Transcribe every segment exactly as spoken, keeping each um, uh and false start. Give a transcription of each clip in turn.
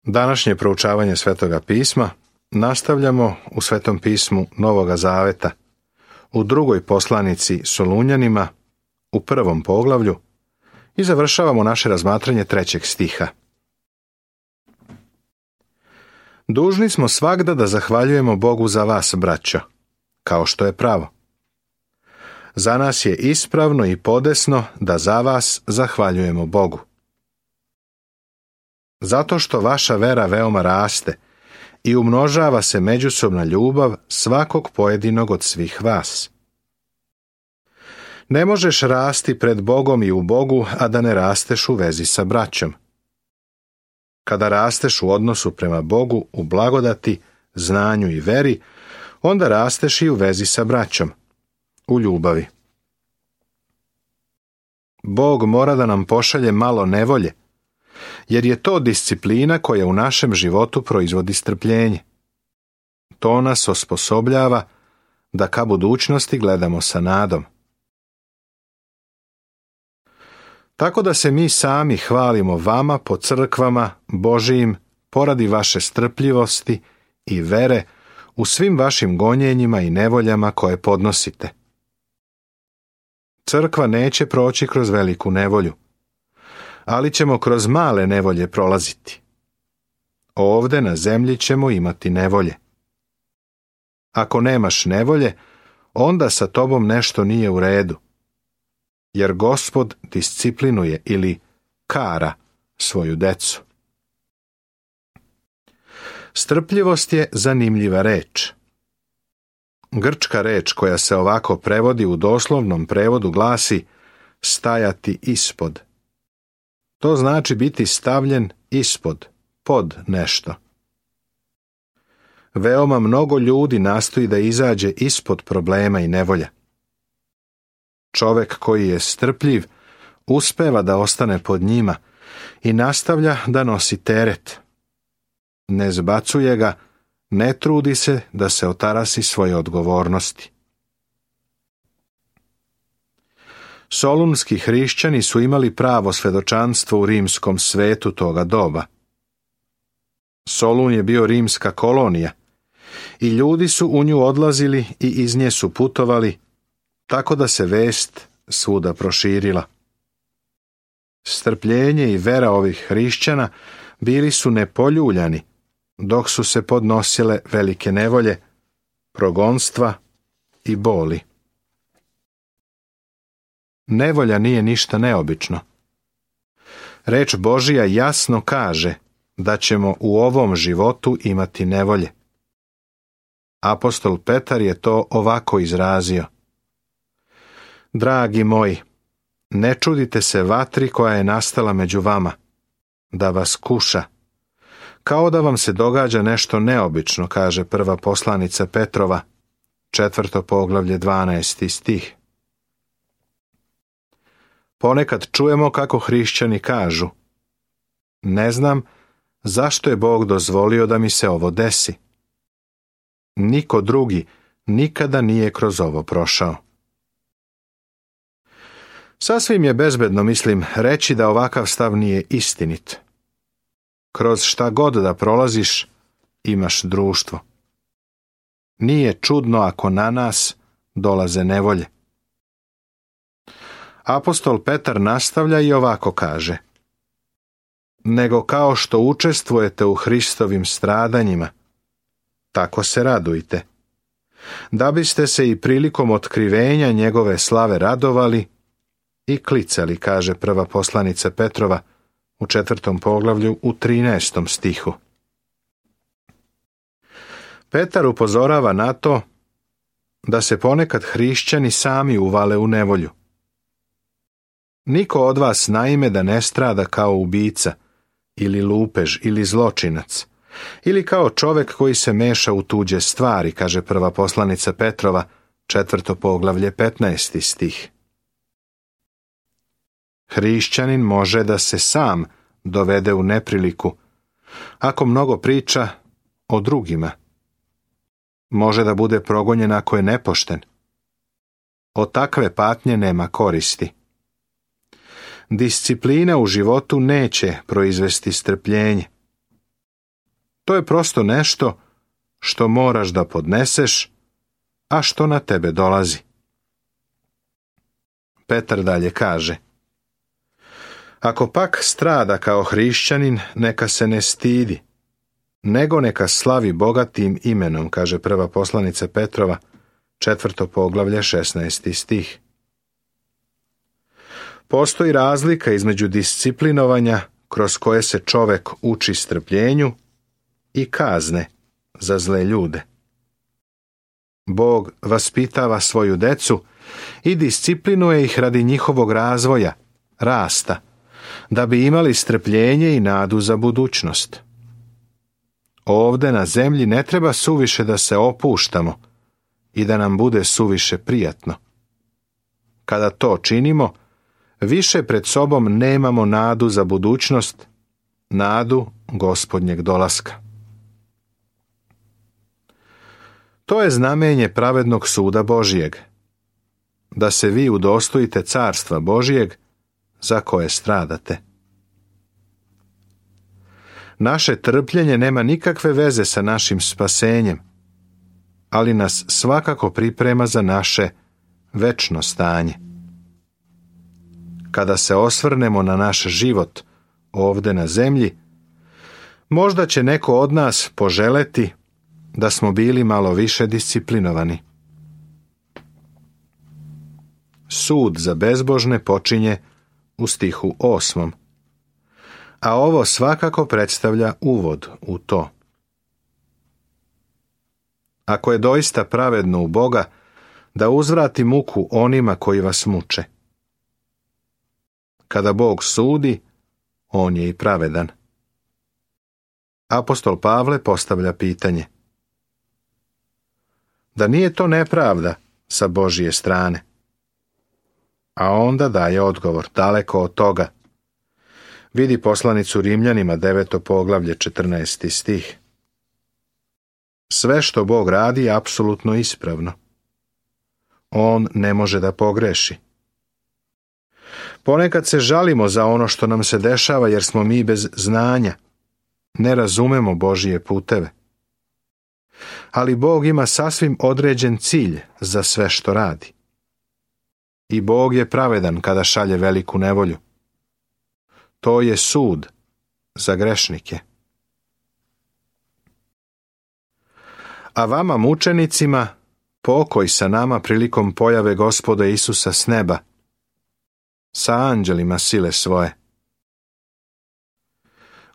Današnje proučavanje Svetoga pisma nastavljamo u Svetom pismu Novoga Zaveta, u drugoj poslanici Solunjanima, u prvom poglavlju, i završavamo naše razmatranje trećeg stiha. Dužni smo svagda da zahvaljujemo Bogu za vas, braćo, kao što je pravo. Za nas je ispravno i podesno da za vas zahvaljujemo Bogu. Zato što vaša vera veoma raste i umnožava se međusobna ljubav svakog pojedinog od svih vas. Ne možeš rasti pred Bogom i u Bogu, a da ne rasteš u vezi sa braćom. Kada rasteš u odnosu prema Bogu, u blagodati, znanju i veri, onda rasteš i u vezi sa braćom, u ljubavi. Bog mora da nam pošalje malo nevolje, jer je to disciplina koja u našem životu proizvodi strpljenje. To nas osposobljava da ka budućnosti gledamo sa nadom. Tako da se mi sami hvalimo vama po crkvama Božijim poradi vaše strpljivosti i vere u svim vašim gonjenjima i nevoljama koje podnosite. Crkva neće proći kroz veliku nevolju, ali ćemo kroz male nevolje prolaziti. Ovde na zemlji ćemo imati nevolje. Ako nemaš nevolje, onda sa tobom nešto nije u redu, jer Gospod disciplinuje ili kara svoju decu. Strpljivost je zanimljiva reč. Grčka reč koja se ovako prevodi u doslovnom prevodu glasi stajati ispod. To znači biti stavljen ispod, pod nešto. Veoma mnogo ljudi nastoji da izađe ispod problema i nevolja. Čovek koji je strpljiv uspeva da ostane pod njima i nastavlja da nosi teret. Ne zbacuje ga, ne trudi se da se otarasi svoje odgovornosti. Solunski hrišćani su imali pravo svedočanstvo u rimskom svetu toga doba. Solun je bio rimska kolonija i ljudi su u nju odlazili i iz nje su putovali, tako da se vest svuda proširila. Strpljenje i vera ovih hrišćana bili su nepoljuljani, dok su se podnosile velike nevolje, progonstva i boli. Nevolja nije ništa neobično. Reč Božija jasno kaže da ćemo u ovom životu imati nevolje. Apostol Petar je to ovako izrazio. Dragi moji, ne čudite se vatri koja je nastala među vama, da vas kuša, kao da vam se događa nešto neobično, kaže prva poslanica Petrova, četvrto poglavlje, dvanaesti stih. Ponekad čujemo kako hrišćani kažu: ne znam zašto je Bog dozvolio da mi se ovo desi. Niko drugi nikada nije kroz ovo prošao. Sasvim je bezbedno, mislim, reći da ovakav stav nije istinit. Kroz šta god da prolaziš, imaš društvo. Nije čudno ako na nas dolaze nevolje. Apostol Petar nastavlja i ovako kaže: nego kao što učestvujete u Hristovim stradanjima, tako se radujte, da biste se i prilikom otkrivenja njegove slave radovali i klicali, kaže prva poslanica Petrova u četvrtom poglavlju u trinaestom stihu. Petar upozorava na to da se ponekad hrišćani sami uvale u nevolju. Niko od vas naime da ne strada kao ubica, ili lupež, ili zločinac, ili kao čovek koji se meša u tuđe stvari, kaže prva poslanica Petrova, četvrto poglavlje, petnaesti stih. Hrišćanin može da se sam dovede u nepriliku ako mnogo priča o drugima. Može da bude progonjen ako je nepošten. Od takve patnje nema koristi. Disciplina u životu neće proizvesti strpljenje. To je prosto nešto što moraš da podneseš, a što na tebe dolazi. Petar dalje kaže: ako pak strada kao hrišćanin, neka se ne stidi, nego neka slavi bogatim imenom, kaže prva poslanica Petrova, četvrto poglavlje, šesnaesti stih. Postoji razlika između disciplinovanja kroz koje se čovek uči strpljenju i kazne za zle ljude. Bog vaspitava svoju decu i disciplinuje ih radi njihovog razvoja, rasta, da bi imali strpljenje i nadu za budućnost. Ovde na zemlji ne treba suviše da se opuštamo i da nam bude suviše prijatno. Kada to činimo, više pred sobom nemamo nadu za budućnost, nadu Gospodnjeg dolaska. To je znamenje pravednog suda Božijeg, da se vi udostojite carstva Božijeg za koje stradate. Naše trpljenje nema nikakve veze sa našim spasenjem, ali nas svakako priprema za naše večno stanje. Kada se osvrnemo na naš život ovde na zemlji, možda će neko od nas poželeti da smo bili malo više disciplinovani. Sud za bezbožne počinje u stihu osmom, a ovo svakako predstavlja uvod u to. Ako je doista pravedno u Boga da uzvrati muku onima koji vas muče. Kada Bog sudi, on je i pravedan. Apostol Pavle postavlja pitanje: da nije to nepravda sa Božije strane? A onda daje odgovor: daleko od toga. Vidi poslanicu Rimljanima, deveto poglavlje, četrnaesti stih. Sve što Bog radi je apsolutno ispravno. On ne može da pogreši. Ponekad se žalimo za ono što nam se dešava jer smo mi bez znanja, ne razumemo Božije puteve. Ali Bog ima sasvim određen cilj za sve što radi. I Bog je pravedan kada šalje veliku nevolju. To je sud za grešnike. A vama mučenicima, pokoj sa nama prilikom pojave Gospoda Isusa s neba, sa anđelima sile svoje.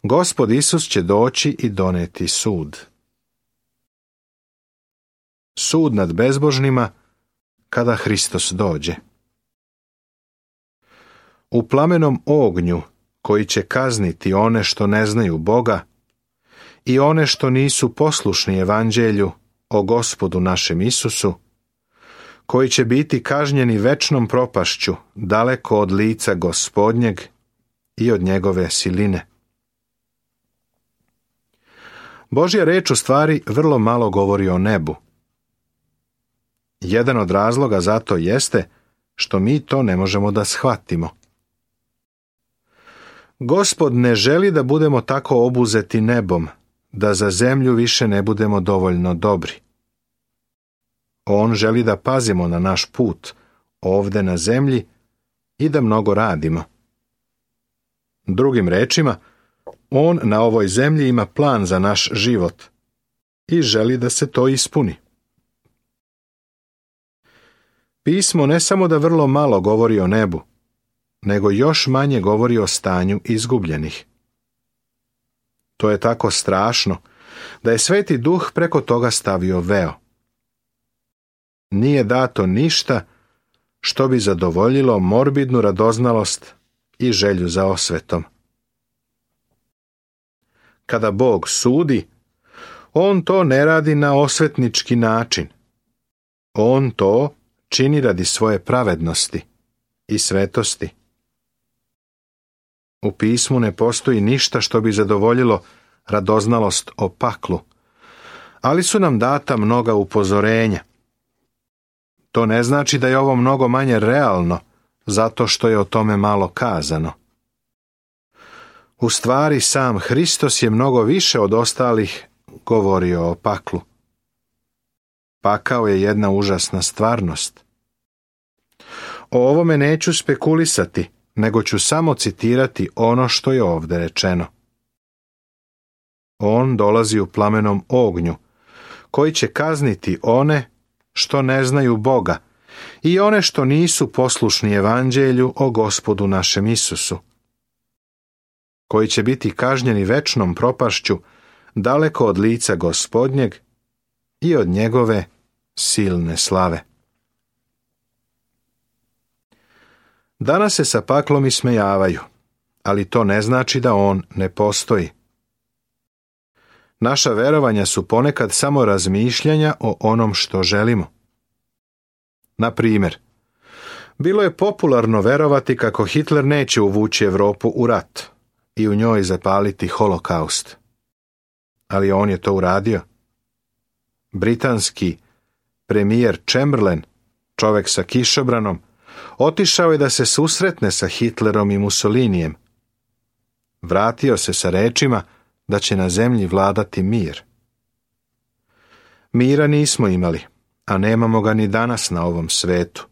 Gospod Isus će doći i doneti sud. Sud nad bezbožnima kada Hristos dođe. U plamenom ognju koji će kazniti one što ne znaju Boga i one što nisu poslušni evanđelju o Gospodu našem Isusu, koji će biti kažnjeni večnom propašću daleko od lica Gospodnjeg i od njegove siline. Božja reč u stvari vrlo malo govori o nebu. Jedan od razloga za to jeste što mi to ne možemo da shvatimo. Gospod ne želi da budemo tako obuzeti nebom, da za zemlju više ne budemo dovoljno dobri. On želi da pazimo na naš put ovde na zemlji i da mnogo radimo. Drugim rečima, on na ovoj zemlji ima plan za naš život i želi da se to ispuni. Pismo ne samo da vrlo malo govori o nebu, nego još manje govori o stanju izgubljenih. To je tako strašno da je Sveti Duh preko toga stavio veo. Nije dato ništa što bi zadovoljilo morbidnu radoznalost i želju za osvetom. Kada Bog sudi, on to ne radi na osvetnički način. On to čini radi svoje pravednosti i svetosti. U pismu ne postoji ništa što bi zadovoljilo radoznalost o paklu, ali su nam data mnoga upozorenja. To ne znači da je ovo mnogo manje realno, zato što je o tome malo kazano. U stvari, sam Hristos je mnogo više od ostalih govorio o paklu. Pakao je jedna užasna stvarnost. O ovome neću spekulisati, nego ću samo citirati ono što je ovdje rečeno. On dolazi u plamenom ognju, koji će kazniti one što ne znaju Boga i one što nisu poslušni evanđelju o Gospodu našem Isusu, koji će biti kažnjeni večnom propašću daleko od lica Gospodnjeg i od njegove silne slave. Danas se sa paklom ismejavaju, ali to ne znači da on ne postoji. Naša verovanja su ponekad samo razmišljanja o onom što želimo. Na primjer, bilo je popularno verovati kako Hitler neće uvući Europu u rat i u njoj zapaliti holokaust. Ali on je to uradio. Britanski premijer Chamberlain, čovjek sa kišobranom, otišao je da se susretne sa Hitlerom i Mussolinijem. Vratio se sa rečima da će na zemlji vladati mir. Mira nismo imali, a nemamo ga ni danas na ovom svetu.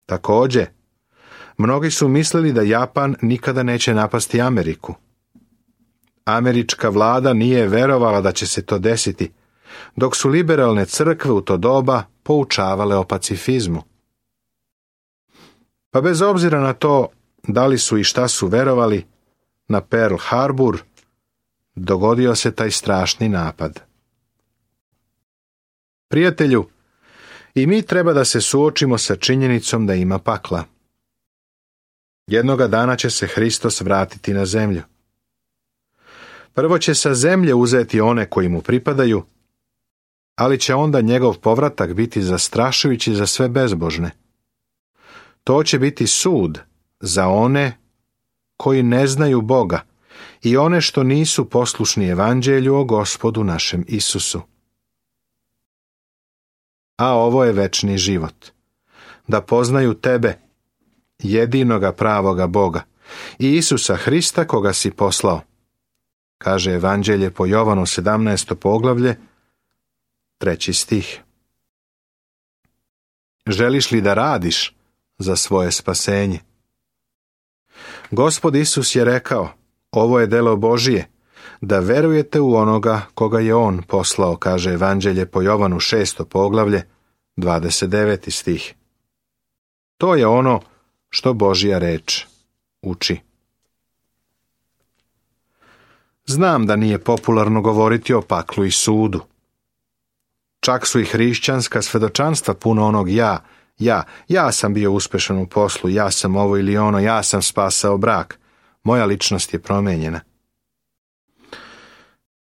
Također, mnogi su mislili da Japan nikada neće napasti Ameriku. Američka vlada nije verovala da će se to desiti, dok su liberalne crkve u to doba poučavale o pacifizmu. Pa bez obzira na to da li su i šta su verovali, na Pearl Harbor dogodio se taj strašni napad. Prijatelju, i mi treba da se suočimo sa činjenicom da ima pakla. Jednoga dana će se Hristos vratiti na zemlju. Prvo će sa zemlje uzeti one koji mu pripadaju, ali će onda njegov povratak biti zastrašujući za sve bezbožne. To će biti sud za one koji ne znaju Boga i one što nisu poslušni evanđelju o Gospodu našem Isusu. A ovo je večni život, da poznaju tebe, jedinoga pravoga Boga, i Isusa Hrista koga si poslao, kaže evanđelje po Jovanu sedamnaesto poglavlje, treći stih. Želiš li da radiš za svoje spasenje? Gospod Isus je rekao, ovo je delo Božije, da verujete u onoga koga je on poslao, kaže evanđelje po Jovanu šesto poglavlje, dvadeset deveti stih. To je ono što Božja reč uči. Znam da nije popularno govoriti o paklu i sudu. Čak su i hrišćanska svedočanstva puno onog ja, ja, ja sam bio uspešan u poslu, ja sam ovo ili ono, ja sam spasao brak, moja ličnost je promijenjena.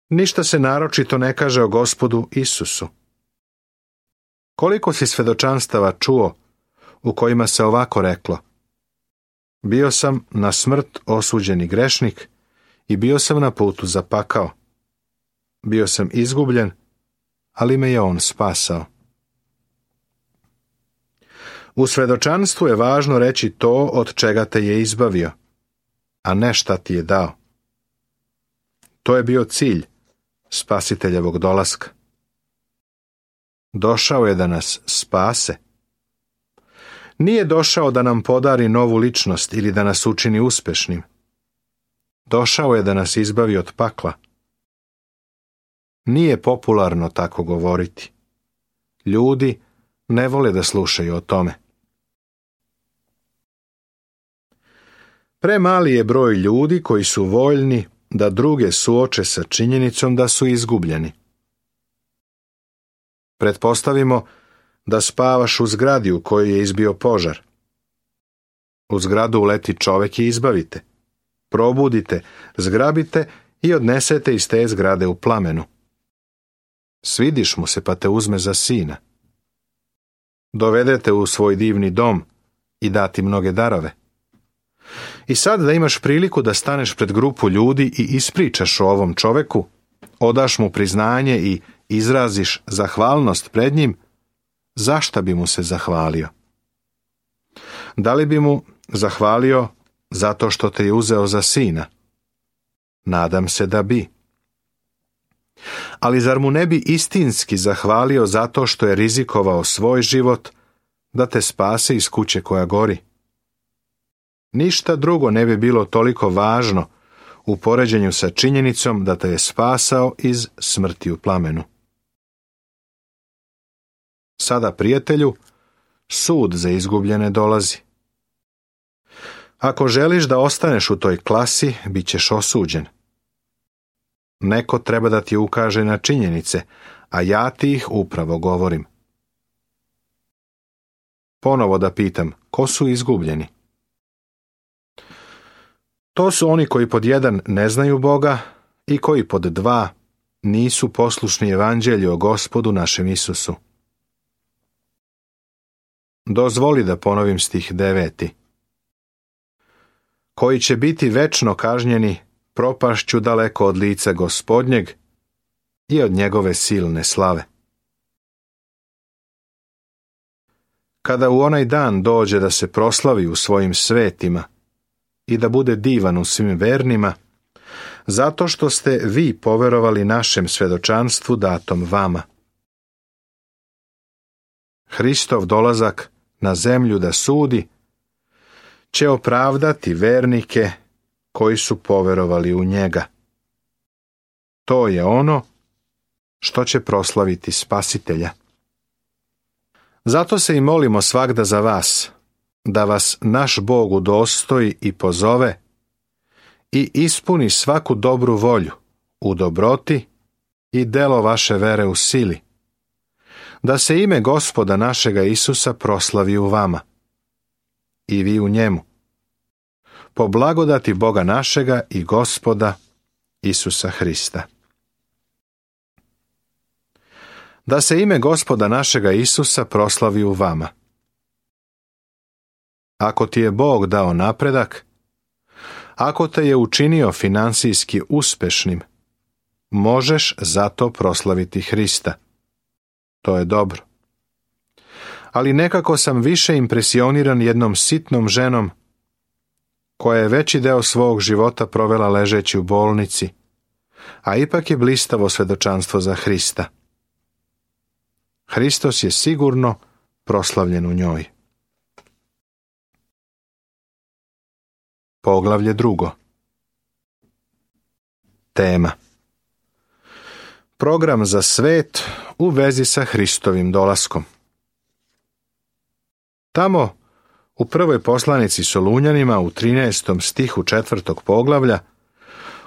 Ništa se naročito ne kaže o Gospodu Isusu. Koliko si svedočanstava čuo u kojima se ovako reklo: bio sam na smrt osuđeni grešnik i bio sam na putu za pakao. Bio sam izgubljen, ali me je on spasao. U svedočanstvu je važno reći to od čega te je izbavio, a ne šta ti je dao. To je bio cilj Spasiteljevog dolaska. Došao je da nas spase. Nije došao da nam podari novu ličnost ili da nas učini uspešnim. Došao je da nas izbavi od pakla. Nije popularno tako govoriti. Ljudi ne vole da slušaju o tome. Premali je broj ljudi koji su voljni da druge suoče sa činjenicom da su izgubljeni. Pretpostavimo da spavaš u zgradi u kojoj je izbio požar. U zgradu uleti čovek i izbavite. Probudite, zgrabite i odnesete iz te zgrade u plamenu. Svidiš mu se pa te uzme za sina. Dovedete u svoj divni dom i dati mnoge darove. I sad da imaš priliku da staneš pred grupu ljudi i ispričaš o ovom čoveku, odaš mu priznanje i izraziš zahvalnost pred njim, zašta bi mu se zahvalio? Da li bi mu zahvalio zato što te je uzeo za sina, Nadam se da bi. Ali zar mu ne bi istinski zahvalio zato što je rizikovao svoj život da te spase iz kuće koja gori? Ništa drugo ne bi bilo toliko važno u poređenju sa činjenicom da te je spasao iz smrti u plamenu. Sada, prijatelju, sud za izgubljene dolazi. Ako želiš da ostaneš u toj klasi, bit ćeš osuđen. Neko treba da ti ukaže na činjenice, a ja ti ih upravo govorim. Ponovo da pitam, ko su izgubljeni? To su oni koji pod jedan ne znaju Boga i koji pod dva nisu poslušni evanđelju o Gospodu našem Isusu. Dozvoli da ponovim stih deveti. Koji će biti večno kažnjeni propašću daleko od lica Gospodnjeg i od njegove silne slave. Kada u onaj dan dođe da se proslavi u svojim svetima i da bude divan u svim vernima, zato što ste vi poverovali našem svedočanstvu datom vama. Hristov dolazak na zemlju da sudi će opravdati vernike koji su poverovali u njega. To je ono što će proslaviti Spasitelja. Zato se i molimo svagda za vas, da vas naš Bog udostoji i pozove i ispuni svaku dobru volju u dobroti i delo vaše vere u sili, da se ime Gospoda našega Isusa proslavi u vama i vi u njemu, po blagodati Boga našega i Gospoda Isusa Hrista. Da se ime Gospoda našega Isusa proslavi u vama. Ako ti je Bog dao napredak, ako te je učinio finansijski uspešnim, možeš zato proslaviti Hrista. To je dobro. Ali nekako sam više impresioniran jednom sitnom ženom koja je veći deo svog života provela ležeći u bolnici, a ipak je blistavo svedočanstvo za Hrista. Hristos je sigurno proslavljen u njoj. Poglavlje drugo. Tema. Program za svet u vezi sa Hristovim dolaskom. Tamo, u prvoj poslanici Solunjanima u trinaestom stihu četvrtog poglavlja,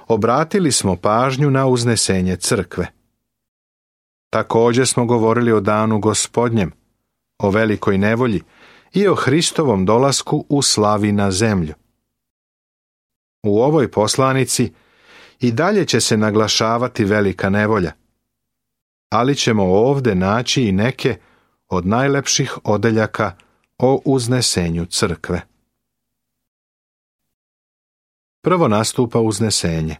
obratili smo pažnju na uznesenje crkve. Također smo govorili o danu Gospodnjem, o velikoj nevolji i o Hristovom dolasku u slavi na zemlju. U ovoj poslanici i dalje će se naglašavati velika nevolja, ali ćemo ovdje naći i neke od najlepših odeljaka o uznesenju crkve. Prvo nastupa uznesenje.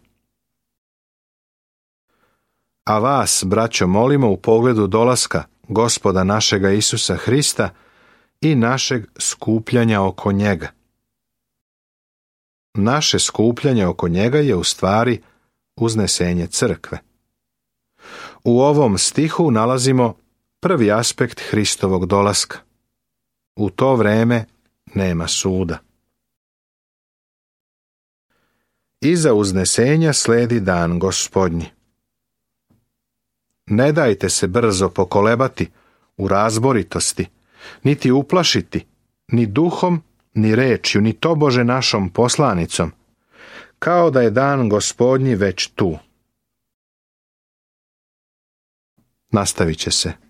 A vas, braćo, molimo u pogledu dolaska Gospoda našega Isusa Hrista i našeg skupljanja oko njega. Naše skupljanje oko njega je u stvari uznesenje crkve. U ovom stihu nalazimo prvi aspekt Hristovog dolaska. U to vreme nema suda. Iza uznesenja sledi dan Gospodnji. Ne dajte se brzo pokolebati u razboritosti, niti uplašiti, ni duhom, ni rečju, ni tobože našom poslanicom, kao da je dan Gospodnji već tu. Nastavit će se.